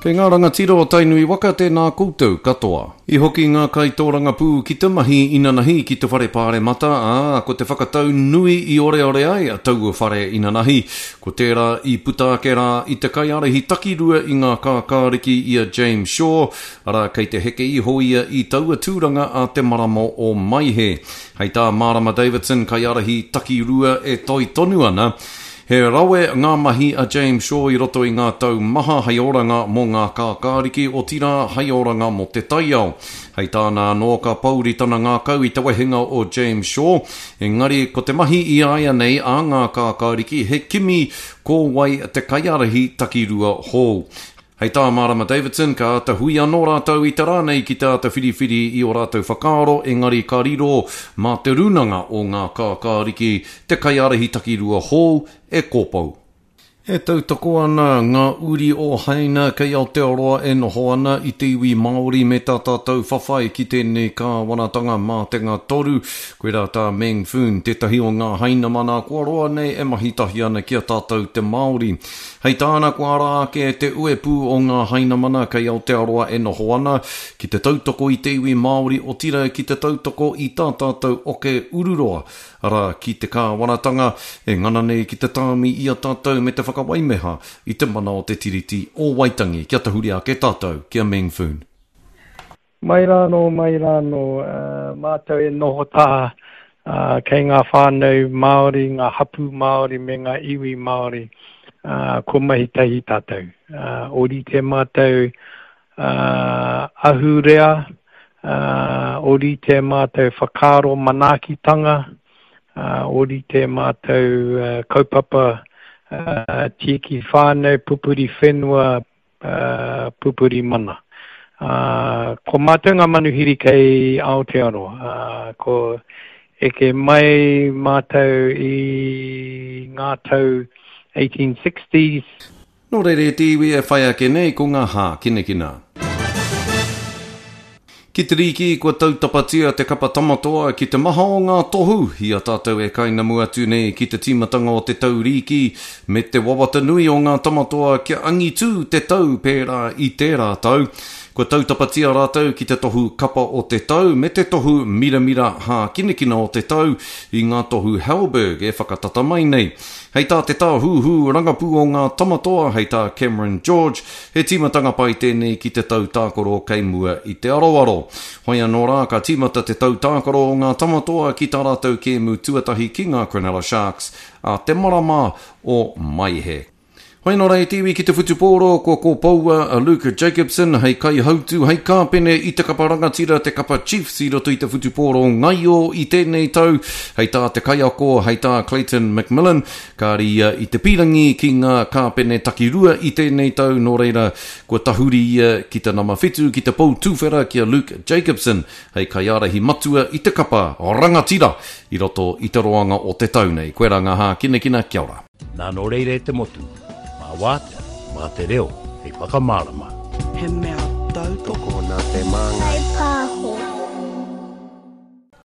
Kei ngā rangatira o Tainui waka tēnā koutou katoa. I hoki ngā kaitōrangapū ki te mahi inanahi ki te whare pāremata, ā, ko te whakatau nui i oreore ai taua whare inanahi, ko tērā i puta ake rā i te kaiārahi takirua i ngā kākāriki i a James Shaw, arā, kei te heke iho ia i taua tūranga a te marama o Maehe. Hei tā Marama Davidson, kaiārahi takirua e toi tonu ana, He rawe ngā mahi a James Shaw i roto i ngā tau maha hei oranga mō ngā kākāriki, otirā hei oranga mō te taiao. Hei tāna anō ka pouri tana ngākau i te wehenga o James Shaw, engari ko te mahi i āianei a ngā kākāriki he kimi ko wai te kaiārahi takirua hou. Hei tā Marama Davidson, ka āta hui anō rātou i te rā nei ki te āta whiriwhiri i ō rātou whakaaro, engari ka riro mā te rūnanga o ngā kākāriki te kaiārahi takirua hou e kōpou. E tautoko ana ngā uri o Haina kei Aotearoa e noho ana i te iwi Māori me tā tātou whawhai ki tēnei kāwanatanga mātenga toru. Koirā tā Meng Foon, tētahi o ngā Hainamana kua roa nei e mahi tahi ana ki a tātou te Māori. Hei tāna kua ara ake te uepū o ngā Hainamana kei Aotearoa e noho ana, ki te tautoko i te iwi Māori otira ki te tautoko i tā tātou oke ururoa, arā, ki te kāwanatanga e ngana nei ki te tāmi i a tātou me te whakawaimeha i te mana o te Tiriti o Waitangi. Kia tahuri ake tātou ki a Meng Foon. Mai rā anō, mai rā anō, mātou e noho taha kei ngā whānau Māori, ngā hapū Māori me ngā iwi Māori, kua mahi tahi tātou. Ōrite mātou ahurea, ōrite mātou whakaaro manaakitanga, ōrite mātou kaupapa tieki whānau, pupuri whenua, pupuri mana. Ko mātou ngā manuhiri kei Aotearoa. Ko eke mai mātou i ngā tau 1860s. Nō reira e te iwi e whai ake nei ko ngā hākinakina. Ki te rīki, kua tautapatia te kapa Tamatoa ki te maha o ngā tohu i a tātou e kainamu atu nei ki te tīmatanga o te tau rīki, me te wawata nui o ngā Tamatoa kia angitū te tau pērā i tērā tau. Kua tautapatia rātou ki te tohu Kapa o te Tau me te tohu Miramira Hākinakina o te Tau i ngā tohu Halberg e whakatata mai nei. Hei tā te tāhūhū rangapū o ngā Tamatoa, hei tā Cameron George, He tīmatanga pai tēnei ki te tau tākaro kei mua i te aroaro. Hoi anō rā, ka tīmata te tau tākaro o ngā Tamatoa ki tā rātou kēmu tuatahi ki ngā Cronulla Sharks ā te marama o Maehe. Hoi anō rā e te iwi ki te whutupōro, kua kōpoua a Luke Jacobson hei kaihautū, hei kāpene i te kapa rangatira, te kapa Chiefs i roto i te whutupōro ngaio i tēnei tau, hei tā te kaiako, hei tā Clayton McMillan, Kāre ia i te pīrangi ki ngā kāpene takirua i tēnei tau, nō reira, kua tahuri ia ki te nama whitu, ki te pou tuwhera ki a Luke Jacobson hei kaiārahi matua i te kapa rangatira i roto i te roanga o te tau nei. Koirā ngā hākinakina, kia ora. Nā nō reira e te motu, mā wātea, mā te reo hei whakamārama. He mea tautoko. Tokona te māngai.